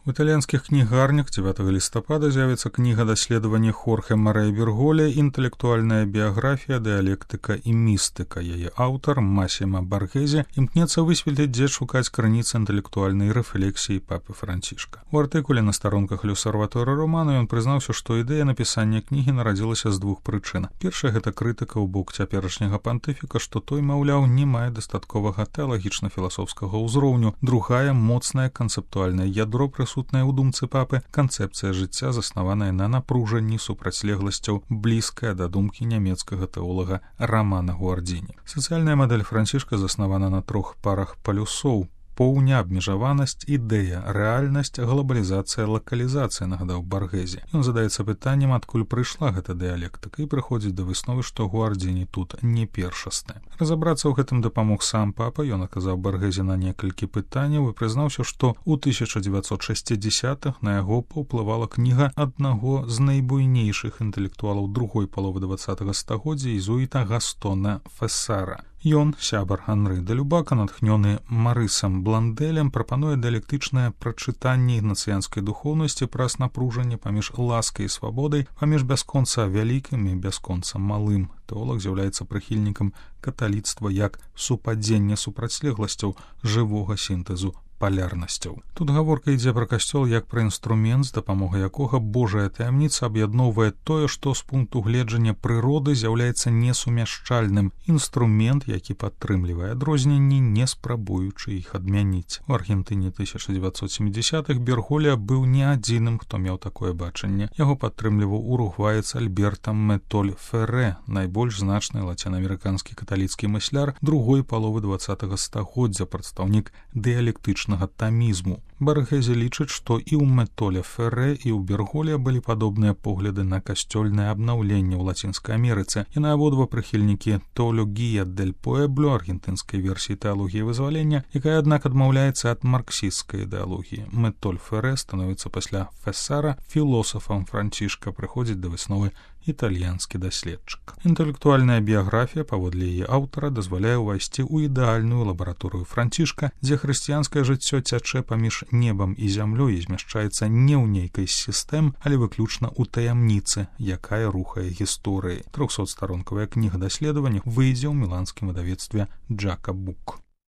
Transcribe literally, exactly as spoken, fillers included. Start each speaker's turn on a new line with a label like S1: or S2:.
S1: У італьянскіх кнігарнях дзевятага лістапада з'явіцца кніга даследавання Хорхе Марэ Берголе «Інтэлектуальная біяграфія, дыялектыка і містыка». Яе аўтар Масіма Баргезе імкнецца высветліць, дзе шукаць крыніцы інтэлектуальнай рэфлексіі папы Францішка. У артыкуле на старонках «L'Osservatore Romano» ён прызнаўся, што ідэя напісання кнігі нарадзілася з двух прычын. Першая — гэта крытыка ў бок цяперашняга пантыфіка, што той, маўляў, не мае дастатковага тэалагічна-філасофскага ўзроўню. Другая — моцнае канцэптуальнае ядро прысутная ў думцы папы, канцэпцыя жыцця, заснаваная на напружанні супрацьлегласцяў, блізкая да думкі нямецкага тэолага Рамана Гуардзіні. Сацыяльная мадэль Францішка заснавана на трох парах палюсоў: поўня, абмежаванасць, ідэя, рэальнасць, глобалізацыя, лакалізацыя, нагадаў Баргезе. Ён задаецца пытаннем, адкуль прыйшла гэта дыялектыка, і прыходзіць да высновы, што Гуардзіні тут не першасны. Разабрацца ў гэтым дапамог сам папа. Ён аказаў Баргезе на некалькі пытанняў і прызнаўся, што ў тысяча дзевяцьсот шэсцідзесятых на яго паўплывала кніга аднаго з найбуйнейшых інтэлектуалаў другой паловы дваццатага стагоддзя, езуіта Гастона Фессара. Ён, сябар Анры де Любака, натхнёны Марысам Бландэлем, прапануе дыялектычнае прачытанне ігнацыянскай духоўнасці праз напружанне паміж ласкай і свабодай, паміж бясконца вялікім і бясконца малым. Тэолаг з'яўляецца прыхільнікам каталіцтва як супадзення супрацьлегласцяў, жывога сінтэзу палярнасцяў. Тут гаворка ідзе пра касцёл як пра інструмент, з дапамогай якога Божая таямніца аб'ядноўвае тое, што з пункту гледжання прыроды з'яўляецца несумяшчальным. Інструмент, які падтрымлівае адрозненні, не спрабуючы іх адмяніць. У Аргентыне тысяча дзевяцьсот сямідзясятых Берголе быў не адзіным, хто меў такое бачанне. Яго падтрымліваў уругваец Альберта Метоль Феррэ, найбольш значны лацінаамерыканскі каталіцкі мысляр другой паловы дваццатага стагоддзя, прадстаўнік дыялектычнага тамізму. Баргезе лічыць, што і ў Метоля Феррэ, і ў Берголе былі падобныя погляды на касцёльнае абнаўленне ў Лацінскай Амерыцы. Яны абодва прыхільнікі «Теологія дель Пуэбло», аргентынскай версіі тэалогіі вызвалення, якая, аднак, адмаўляецца ад марксісцкай ідэалогіі. Метоль Феррэ становіцца пасля Фессара філосафам Францішка, прыходзіць да высновы італьянскі даследчык. Інтэлектуальная біяграфія, паводле яе аўтара, дазваляе ўвайсці ў ідэальную лабараторыю Францішка, дзе хрысціянскае жыццё цячэ паміж небам і зямлёй і змяшчаецца не ў нейкай з сістэм, але выключна ў таямніцы, якая рухае гісторыяй. трохсотстаронкавая кніга даследавання выйдзе ў міланскім выдавецтве Джака Бук.